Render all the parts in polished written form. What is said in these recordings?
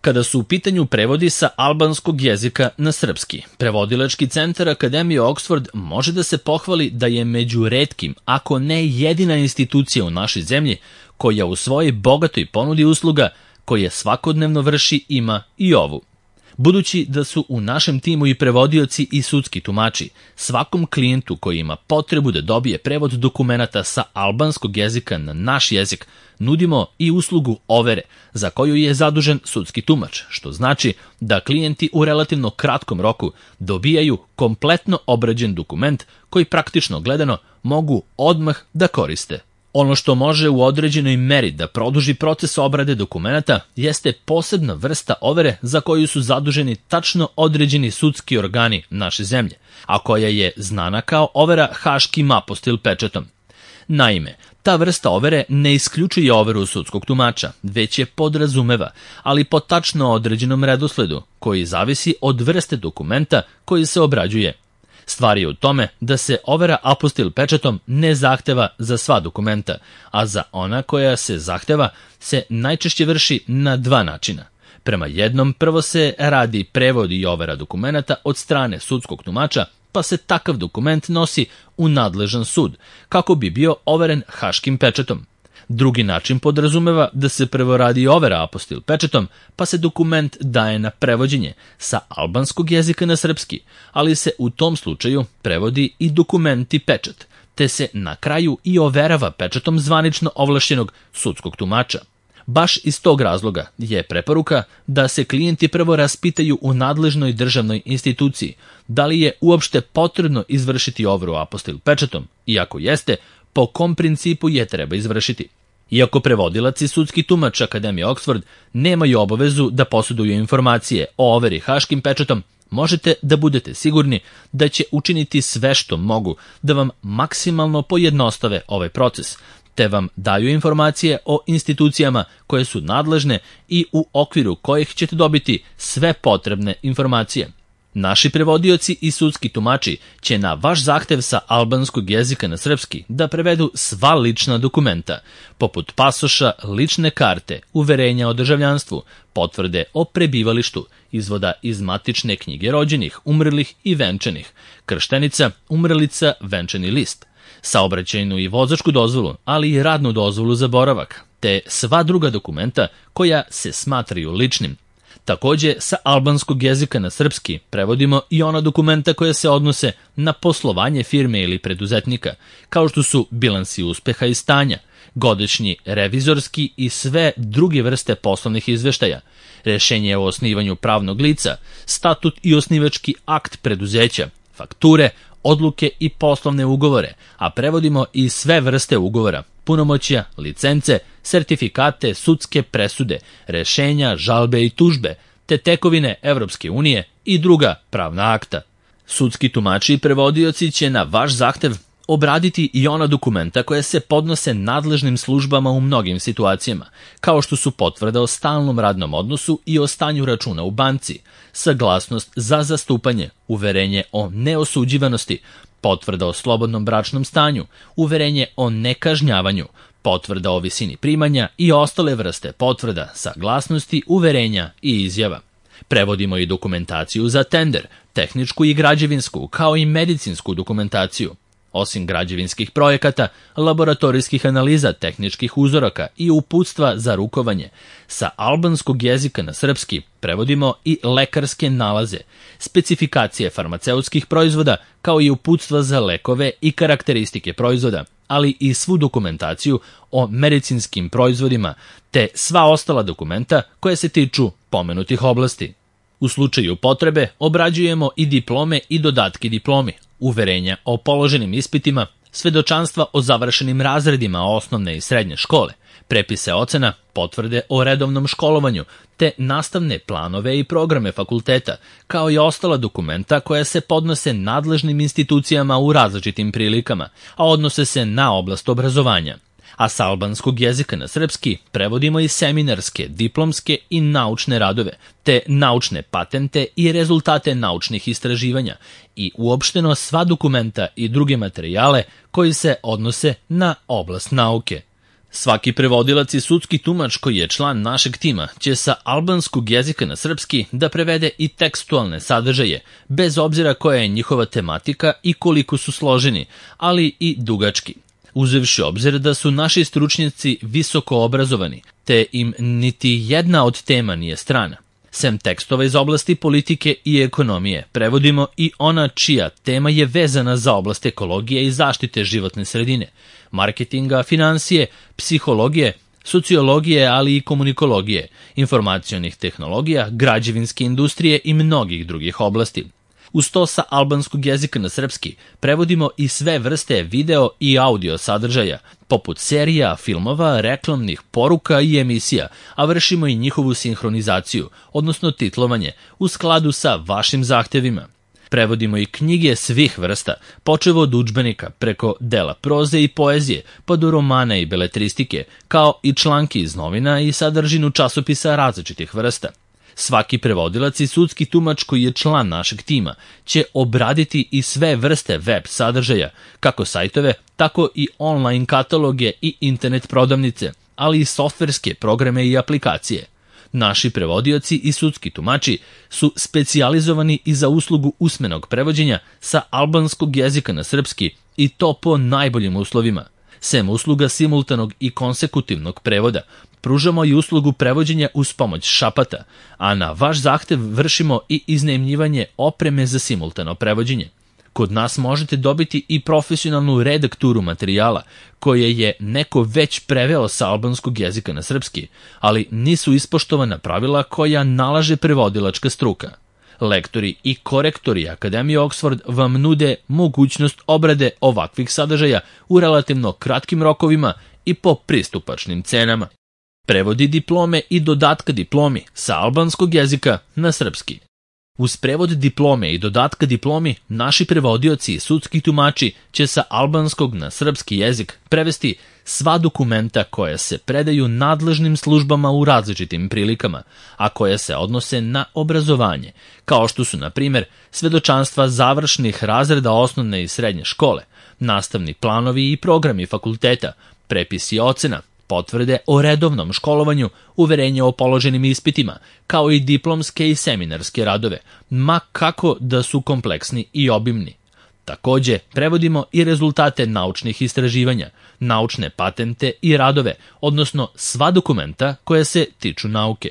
Kada su u pitanju prevodi sa albanskog jezika na srpski, prevodilački centar Akademije Oxford može da se pohvali da je među retkim, ako ne jedina institucija u našoj zemlji koja u svojoj bogatoj ponudi usluga koje svakodnevno vrši ima i ovu. Budući da su u našem timu i prevodioci i sudski tumači, svakom klijentu koji ima potrebu da dobije prevod dokumenata sa albanskog jezika na naš jezik, nudimo i uslugu overe za koju je zadužen sudski tumač, što znači da klijenti u relativno kratkom roku dobijaju kompletno obrađen dokument koji praktično gledano mogu odmah da koriste. Ono što može u određenoj meri da produži proces obrade dokumenata jeste posebna vrsta overe za koju su zaduženi tačno određeni sudski organi naše zemlje, a koja je znana kao overa haškim apostil pečatom. Naime, ta vrsta overe ne isključuje overu sudskog tumača, već je podrazumeva, ali po tačno određenom redosledu, koji zavisi od vrste dokumenta koji se obrađuje. Stvar je u tome da se overa apostil pečatom ne zahteva za sva dokumenta, a za ona koja se zahteva se najčešće vrši na dva načina. Prema jednom, prvo se radi prevod i overa dokumenata od strane sudskog tumača, pa se takav dokument nosi u nadležan sud, kako bi bio overen haškim pečatom. Drugi način podrazumeva da se prvo radi overa apostil pečatom, pa se dokument daje na prevođenje sa albanskog jezika na srpski, ali se u tom slučaju prevodi i dokument i pečat, te se na kraju i overava pečatom zvanično ovlašćenog sudskog tumača. Baš iz tog razloga je preporuka da se klijenti prvo raspitaju u nadležnoj državnoj instituciji da li je uopšte potrebno izvršiti overu apostil pečatom i ako jeste, po kom principu je treba izvršiti. Iako prevodilac i sudski tumač Akademije Oxford nemaju obavezu da posjeduju informacije o overi haškim pečatom, možete da budete sigurni da će učiniti sve što mogu da vam maksimalno pojednostave ovaj proces, te vam daju informacije o institucijama koje su nadležne i u okviru kojih ćete dobiti sve potrebne informacije. Naši prevodioci i sudski tumači će na vaš zahtev sa albanskog jezika na srpski da prevedu sva lična dokumenta, poput pasoša, lične karte, uverenja o državljanstvu, potvrde o prebivalištu, izvoda iz matične knjige rođenih, umrlih i venčanih, krštenica, umrlica, venčani list, saobraćajnu i vozačku dozvolu, ali i radnu dozvolu za boravak, te sva druga dokumenta koja se smatraju ličnim. Takođe, sa albanskog jezika na srpski prevodimo i ona dokumenta koja se odnose na poslovanje firme ili preduzetnika, kao što su bilansi uspeha i stanja, godišnji revizorski i sve druge vrste poslovnih izveštaja, rešenje o osnivanju pravnog lica, statut i osnivački akt preduzeća, fakture, odluke i poslovne ugovore, a prevodimo i sve vrste ugovora, punomoćja, licence, sertifikate, sudske presude, rešenja, žalbe i tužbe, te tekovine Evropske unije i druga pravna akta. Sudski tumači i prevodioci će na vaš zahtev obraditi i ona dokumenta koja se podnose nadležnim službama u mnogim situacijama, kao što su potvrda o stalnom radnom odnosu i o stanju računa u banci, saglasnost za zastupanje, uverenje o neosuđivanosti, potvrda o slobodnom bračnom stanju, uverenje o nekažnjavanju, potvrda o visini primanja i ostale vrste potvrda, saglasnosti, uverenja i izjava. Prevodimo i dokumentaciju za tender, tehničku i građevinsku, kao i medicinsku dokumentaciju. Osim građevinskih projekata, laboratorijskih analiza, tehničkih uzoraka i uputstva za rukovanje, sa albanskog jezika na srpski prevodimo i lekarske nalaze, specifikacije farmaceutskih proizvoda, kao i uputstva za lekove i karakteristike proizvoda, ali i svu dokumentaciju o medicinskim proizvodima, te sva ostala dokumenta koja se tiču pomenutih oblasti. U slučaju potrebe obrađujemo i diplome i dodatke diplomi, uverenja o položenim ispitima, svedočanstva o završenim razredima osnovne i srednje škole, prepise ocena, potvrde o redovnom školovanju, te nastavne planove i programe fakulteta, kao i ostala dokumenta koja se podnose nadležnim institucijama u različitim prilikama, a odnose se na oblast obrazovanja. A sa albanskog jezika na srpski prevodimo i seminarske, diplomske i naučne radove, te naučne patente i rezultate naučnih istraživanja i uopšteno sva dokumenta i druge materijale koji se odnose na oblast nauke. Svaki prevodilac i sudski tumač koji je član našeg tima će sa albanskog jezika na srpski da prevede i tekstualne sadržaje, bez obzira koja je njihova tematika i koliko su složeni, ali i dugački. Uzevši obzir da su naši stručnjaci visoko obrazovani, te im niti jedna od tema nije strana. Sem tekstova iz oblasti politike i ekonomije, prevodimo i ona čija tema je vezana za oblast ekologije i zaštite životne sredine, marketinga, finansije, psihologije, sociologije, ali i komunikologije, informacionih tehnologija, građevinske industrije i mnogih drugih oblasti. Uz to sa albanskog jezika na srpski prevodimo i sve vrste video i audio sadržaja, poput serija, filmova, reklamnih poruka i emisija, a vršimo i njihovu sinhronizaciju, odnosno titlovanje, u skladu sa vašim zahtevima. Prevodimo i knjige svih vrsta, počev od udžbenika, preko dela proze i poezije, pa do romana i beletristike, kao i članki iz novina i sadržinu časopisa različitih vrsta. Svaki prevodilac i sudski tumač koji je član našeg tima će obraditi i sve vrste web sadržaja, kako sajtove, tako i online kataloge i internet prodavnice, ali i softverske programe i aplikacije. Naši prevodioci i sudski tumači su specijalizovani i za uslugu usmenog prevođenja sa albanskog jezika na srpski i to po najboljim uslovima. Sem usluga simultanog i konsekutivnog prevoda, pružamo i uslugu prevođenja uz pomoć šapata, a na vaš zahtev vršimo i iznajmljivanje opreme za simultano prevođenje. Kod nas možete dobiti i profesionalnu redakturu materijala, koje je neko već preveo sa albanskog jezika na srpski, ali nisu ispoštovana pravila koja nalaže prevodilačka struka. Lektori i korektori Akademije Oxford vam nude mogućnost obrade ovakvih sadržaja u relativno kratkim rokovima i po pristupačnim cenama. Prevodi diplome i dodatka diplomi sa albanskog jezika na srpski. Uz prevod diplome i dodatka diplomi, naši prevodioci i sudski tumači će sa albanskog na srpski jezik prevesti sva dokumenta koja se predaju nadležnim službama u različitim prilikama, a koja se odnose na obrazovanje, kao što su, na primjer, svedočanstva završnih razreda osnovne i srednje škole, nastavni planovi i programi fakulteta, prepisi ocena, potvrde o redovnom školovanju, uverenje o položenim ispitima, kao i diplomske i seminarske radove, ma kako da su kompleksni i obimni. Takođe, prevodimo i rezultate naučnih istraživanja, naučne patente i radove, odnosno sva dokumenta koja se tiču nauke.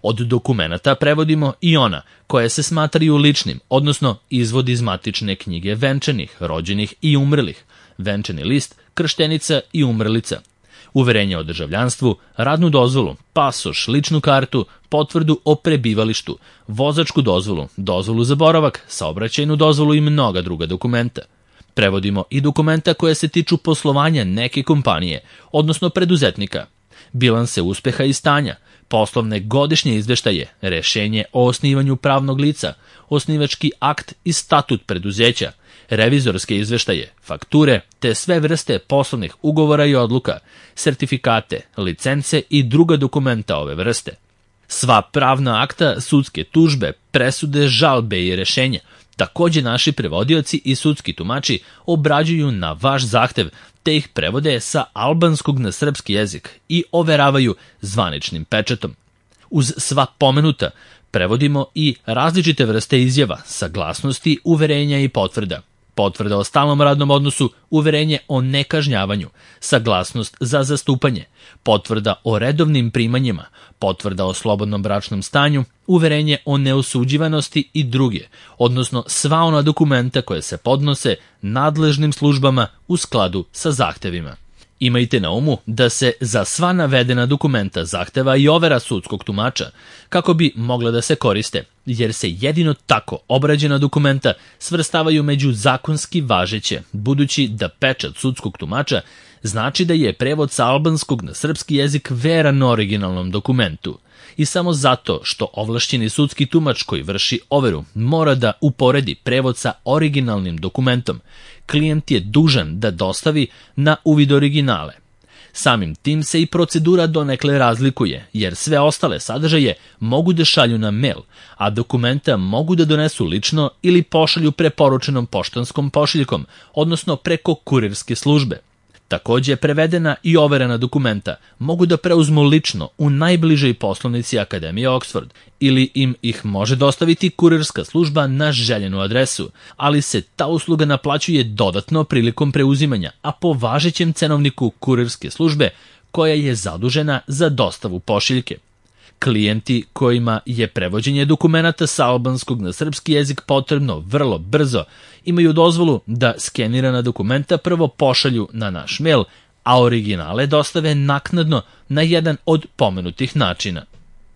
Od dokumenata prevodimo i ona koje se smatraju ličnim, odnosno izvod iz matične knjige venčanih, rođenih i umrlih, venčani list, krštenica i umrlica, uverenje o državljanstvu, radnu dozvolu, pasoš, ličnu kartu, potvrdu o prebivalištu, vozačku dozvolu, dozvolu za boravak, saobraćajnu dozvolu i mnoga druga dokumenta. Prevodimo i dokumenta koje se tiču poslovanja neke kompanije, odnosno preduzetnika, bilanse uspeha i stanja, poslovne godišnje izveštaje, rešenje o osnivanju pravnog lica, osnivački akt i statut preduzeća, revizorske izveštaje, fakture, te sve vrste poslovnih ugovora i odluka, sertifikate, licence i druga dokumenta ove vrste. Sva pravna akta, sudske tužbe, presude, žalbe i rešenja, takođe naši prevodioci i sudski tumači obrađuju na vaš zahtev, te ih prevode sa albanskog na srpski jezik i overavaju zvaničnim pečatom. Uz sva pomenuta, prevodimo i različite vrste izjava, saglasnosti, uverenja i potvrda. Potvrda o stalnom radnom odnosu, uverenje o nekažnjavanju, saglasnost za zastupanje, potvrda o redovnim primanjima, potvrda o slobodnom bračnom stanju, uverenje o neosuđivanosti i druge, odnosno sva ona dokumenta koje se podnose nadležnim službama u skladu sa zahtevima. Imajte na umu da se za sva navedena dokumenta zahteva i overa sudskog tumača kako bi mogla da se koriste, jer se jedino tako obrađena dokumenta svrstavaju među zakonski važeće, budući da pečat sudskog tumača znači da je prevod sa albanskog na srpski jezik veran originalnom dokumentu. I samo zato što ovlašćeni sudski tumač koji vrši overu mora da uporedi prevod sa originalnim dokumentom, klijent je dužan da dostavi na uvid originale. Samim tim se i procedura donekle razlikuje, jer sve ostale sadržaje mogu da šalju na mail, a dokumenta mogu da donesu lično ili pošalju preporučenom poštanskom pošiljkom, odnosno preko kurirske službe. Takođe, prevedena i overena dokumenta mogu da preuzmu lično u najbližoj poslovnici Akademije Oxford ili im ih može dostaviti kurirska služba na željenu adresu, ali se ta usluga naplaćuje dodatno prilikom preuzimanja, a po važećem cenovniku kurirske službe koja je zadužena za dostavu pošiljke. Klijenti kojima je prevođenje dokumenata sa albanskog na srpski jezik potrebno vrlo brzo imaju dozvolu da skenirana dokumenta prvo pošalju na naš mail, a originale dostave naknadno na jedan od pomenutih načina.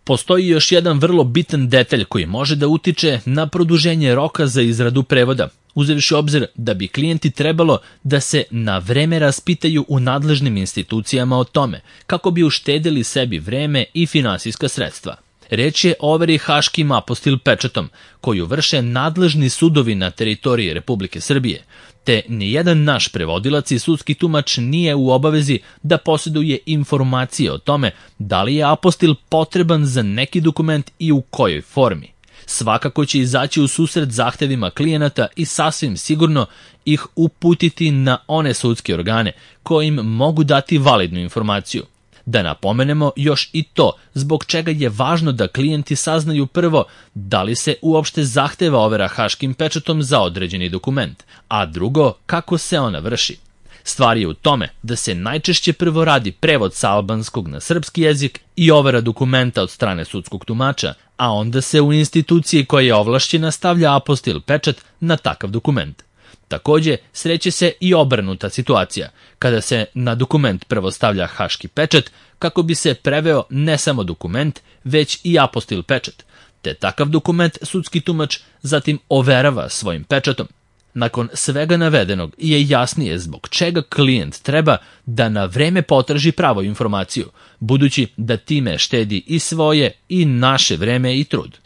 Postoji još jedan vrlo bitan detalj koji može da utiče na produženje roka za izradu prevoda, uzevši obzir da bi klijenti trebalo da se na vreme raspitaju u nadležnim institucijama o tome, kako bi uštedili sebi vreme i finansijska sredstva. Reč je o overi haškim apostil pečatom, koju vrše nadležni sudovi na teritoriji Republike Srbije, te nijedan naš prevodilac i sudski tumač nije u obavezi da posjeduje informacije o tome da li je apostil potreban za neki dokument i u kojoj formi. Svakako će izaći u susret zahtevima klijenata i sasvim sigurno ih uputiti na one sudske organe koji im mogu dati validnu informaciju. Da napomenemo još i to zbog čega je važno da klijenti saznaju prvo da li se uopšte zahteva overa haškim pečatom za određeni dokument, a drugo kako se ona vrši. Stvar je u tome da se najčešće prvo radi prevod sa albanskog na srpski jezik i overa dokumenta od strane sudskog tumača, a onda se u instituciji koja je ovlašćena stavlja apostil pečat na takav dokument. Takođe, sreće se i obrnuta situacija, kada se na dokument prvo stavlja haški pečat kako bi se preveo ne samo dokument, već i apostil pečat, te takav dokument sudski tumač zatim overava svojim pečatom. Nakon svega navedenog je jasnije zbog čega klijent treba da na vreme potraži pravu informaciju, budući da time štedi i svoje i naše vreme i trud.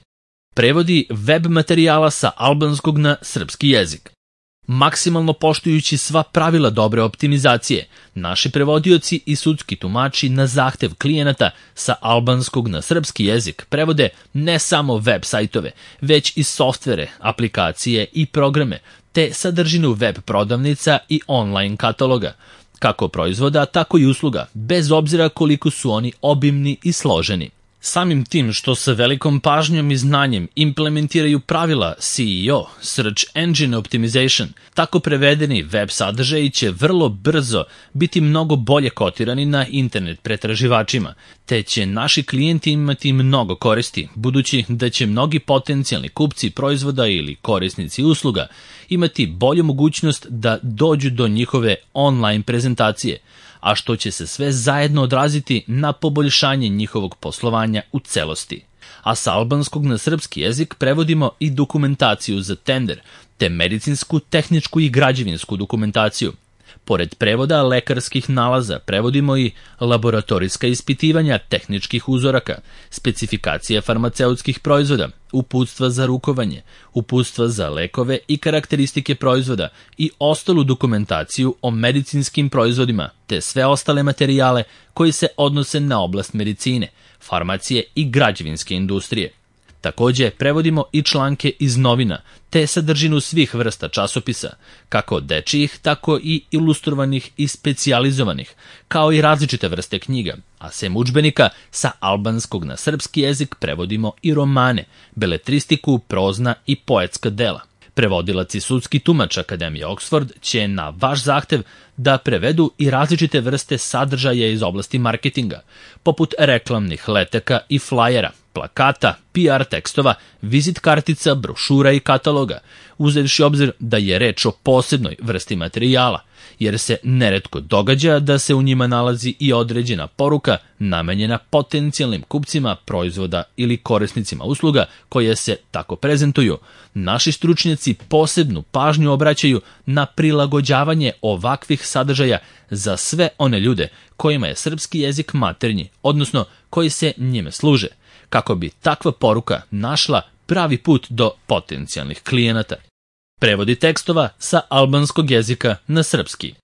Prevodi web materijala sa albanskog na srpski jezik. Maksimalno poštujući sva pravila dobre optimizacije, naši prevodioci i sudski tumači na zahtev klijenata sa albanskog na srpski jezik prevode ne samo web sajtove, već i softvere, aplikacije i programe, te sadržinu web prodavnica i online kataloga, kako proizvoda, tako i usluga, bez obzira koliko su oni obimni i složeni. Samim tim što sa velikom pažnjom i znanjem implementiraju pravila SEO, Search Engine Optimization, tako prevedeni web sadržaji će vrlo brzo biti mnogo bolje kotirani na internet pretraživačima, te će naši klijenti imati mnogo koristi, budući da će mnogi potencijalni kupci proizvoda ili korisnici usluga imati bolju mogućnost da dođu do njihove online prezentacije, a što će se sve zajedno odraziti na poboljšanje njihovog poslovanja u celosti. A sa albanskog na srpski jezik prevodimo i dokumentaciju za tender, te medicinsku, tehničku i građevinsku dokumentaciju. Pored prevoda lekarskih nalaza prevodimo i laboratorijska ispitivanja tehničkih uzoraka, specifikacije farmaceutskih proizvoda, uputstva za rukovanje, uputstva za lekove i karakteristike proizvoda i ostalu dokumentaciju o medicinskim proizvodima, te sve ostale materijale koji se odnose na oblast medicine, farmacije i građevinske industrije. Takođe, prevodimo i članke iz novina, te sadržinu svih vrsta časopisa, kako dečijih, tako i ilustrovanih i specijalizovanih, kao i različite vrste knjiga, a sem udžbenika sa albanskog na srpski jezik prevodimo i romane, beletristiku, prozna i poetska dela. Prevodilac i sudski tumač Akademije Oxford će na vaš zahtev da prevedu i različite vrste sadržaja iz oblasti marketinga, poput reklamnih letaka i flajera, plakata, PR tekstova, vizit kartica, brošura i kataloga, uzevši obzir da je reč o posebnoj vrsti materijala, jer se neretko događa da se u njima nalazi i određena poruka namenjena potencijalnim kupcima proizvoda ili korisnicima usluga koje se tako prezentuju. Naši stručnjaci posebnu pažnju obraćaju na prilagođavanje ovakvih sadržaja za sve one ljude kojima je srpski jezik maternji, odnosno koji se njime služe, kako bi takva poruka našla pravi put do potencijalnih klijenata. Prevodi tekstova sa albanskog jezika na srpski.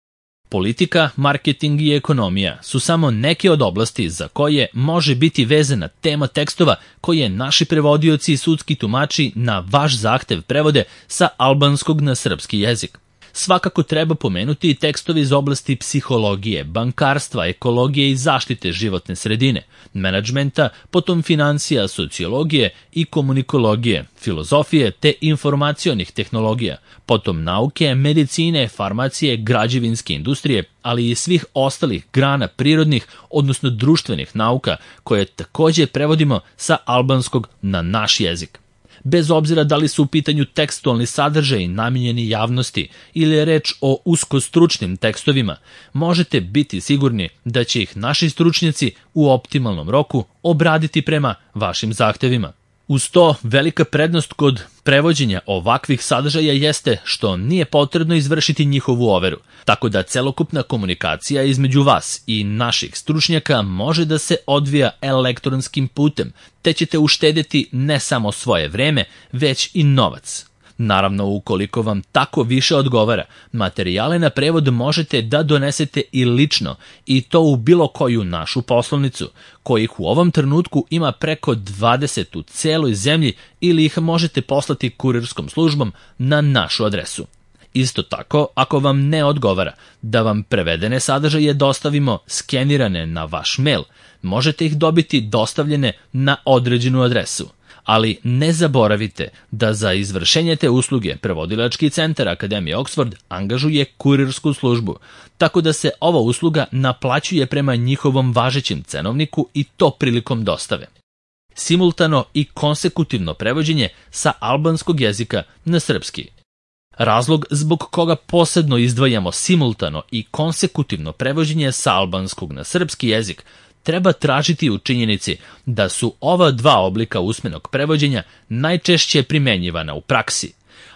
Politika, marketing i ekonomija su samo neke od oblasti za koje može biti vezana tema tekstova koje naši prevodioci i sudski tumači na vaš zahtev prevode sa albanskog na srpski jezik. Svakako treba pomenuti i tekstovi iz oblasti psihologije, bankarstva, ekologije i zaštite životne sredine, menadžmenta, potom financija, sociologije i komunikologije, filozofije te informacionih tehnologija, potom nauke, medicine, farmacije, građevinske industrije, ali i svih ostalih grana prirodnih, odnosno društvenih nauka, koje takođe prevodimo sa albanskog na naš jezik. Bez obzira da li su u pitanju tekstualni sadržaji namijenjeni javnosti ili je reč o uskostručnim tekstovima, možete biti sigurni da će ih naši stručnjaci u optimalnom roku obraditi prema vašim zahtevima. Uz to, velika prednost kod prevođenja ovakvih sadržaja jeste što nije potrebno izvršiti njihovu overu, tako da celokupna komunikacija između vas i naših stručnjaka može da se odvija elektronskim putem, te ćete uštedeti ne samo svoje vreme, već i novac. Naravno, ukoliko vam tako više odgovara, materijale na prevod možete da donesete i lično, i to u bilo koju našu poslovnicu, kojih u ovom trenutku ima preko 20 u celoj zemlji, ili ih možete poslati kurirskom službom na našu adresu. Isto tako, ako vam ne odgovara da vam prevedene sadržaje dostavimo skenirane na vaš mail, možete ih dobiti dostavljene na određenu adresu. Ali ne zaboravite da za izvršenje te usluge Prevodilački centar Akademije Oxford angažuje kurirsku službu, tako da se ova usluga naplaćuje prema njihovom važećem cenovniku i to prilikom dostave. Simultano i konsekutivno prevođenje sa albanskog jezika na srpski. Razlog zbog koga posebno izdvajamo simultano i konsekutivno prevođenje sa albanskog na srpski jezik treba tražiti u činjenici da su ova dva oblika usmenog prevođenja najčešće primenjivana u praksi,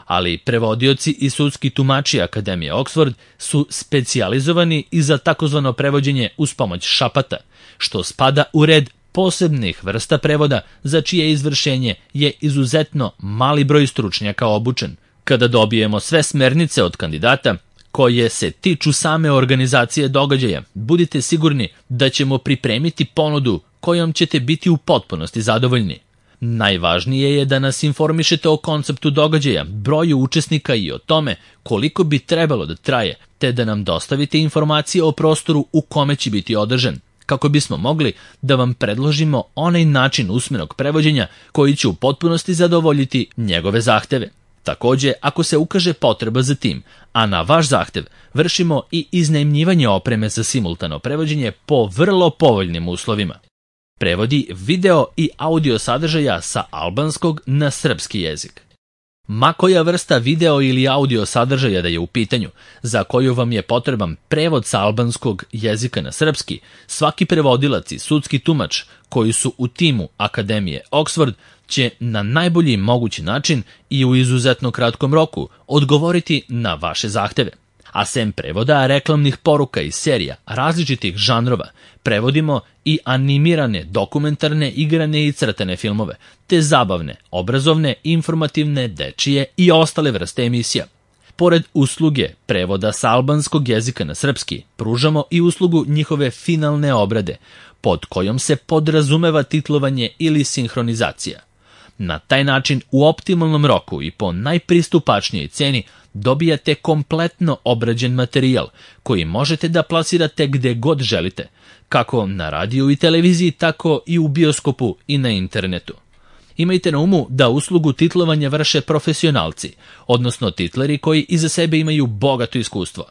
ali prevodioci i sudski tumači Akademije Oxford su specijalizovani i za takozvano prevođenje uz pomoć šapata, što spada u red posebnih vrsta prevoda za čije izvršenje je izuzetno mali broj stručnjaka obučen. Kada dobijemo sve smernice od kandidata koje se tiču same organizacije događaja, budite sigurni da ćemo pripremiti ponudu kojom ćete biti u potpunosti zadovoljni. Najvažnije je da nas informišete o konceptu događaja, broju učesnika i o tome koliko bi trebalo da traje, te da nam dostavite informacije o prostoru u kome će biti održan, kako bismo mogli da vam predložimo onaj način usmenog prevođenja koji će u potpunosti zadovoljiti njegove zahteve. Takođe, ako se ukaže potreba za tim, a na vaš zahtev, vršimo i iznajmljivanje opreme za simultano prevođenje po vrlo povoljnim uslovima. Prevodi video i audio sadržaja sa albanskog na srpski jezik. Ma koja vrsta video ili audio sadržaja da je u pitanju, za koju vam je potreban prevod sa albanskog jezika na srpski, svaki prevodilac i sudski tumač koji su u timu Akademije Oxford će na najbolji mogući način i u izuzetno kratkom roku odgovoriti na vaše zahteve. A sem prevoda reklamnih poruka i serija različitih žanrova, prevodimo i animirane, dokumentarne, igrane i crtane filmove, te zabavne, obrazovne, informativne, dečije i ostale vrste emisija. Pored usluge prevoda sa albanskog jezika na srpski, pružamo i uslugu njihove finalne obrade, pod kojom se podrazumeva titlovanje ili sinhronizacija. Na taj način u optimalnom roku i po najpristupačnijoj ceni dobijate kompletno obrađen materijal koji možete da plasirate gde god želite, kako na radiju i televiziji, tako i u bioskopu i na internetu. Imajte na umu da uslugu titlovanja vrše profesionalci, odnosno titleri koji iza sebe imaju bogato iskustvo.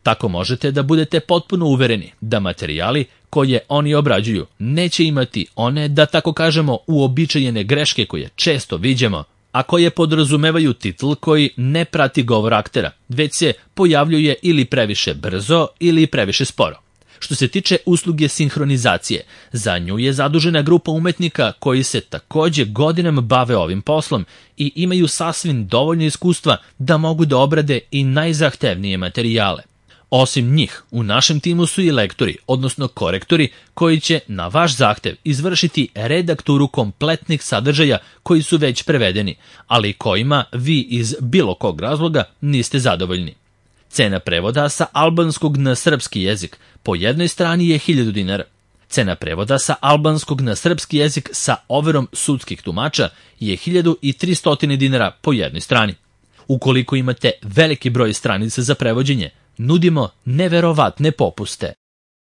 Tako možete da budete potpuno uvereni da materijali koje oni obrađuju neće imati one, da tako kažemo, uobičajene greške koje često viđamo, a koje podrazumevaju titl koji ne prati govor aktera, već se pojavljuje ili previše brzo ili previše sporo. Što se tiče usluge sinhronizacije, za nju je zadužena grupa umetnika koji se takođe godinama bave ovim poslom i imaju sasvim dovoljno iskustva da mogu da obrade i najzahtevnije materijale. Osim njih, u našem timu su i lektori, odnosno korektori, koji će na vaš zahtev izvršiti redakturu kompletnih sadržaja koji su već prevedeni, ali kojima vi iz bilo kog razloga niste zadovoljni. Cena prevoda sa albanskog na srpski jezik po jednoj strani je 1000 dinara. Cena prevoda sa albanskog na srpski jezik sa overom sudskih tumača je 1300 dinara po jednoj strani. Ukoliko imate veliki broj stranica za prevođenje, nudimo neverovatne popuste.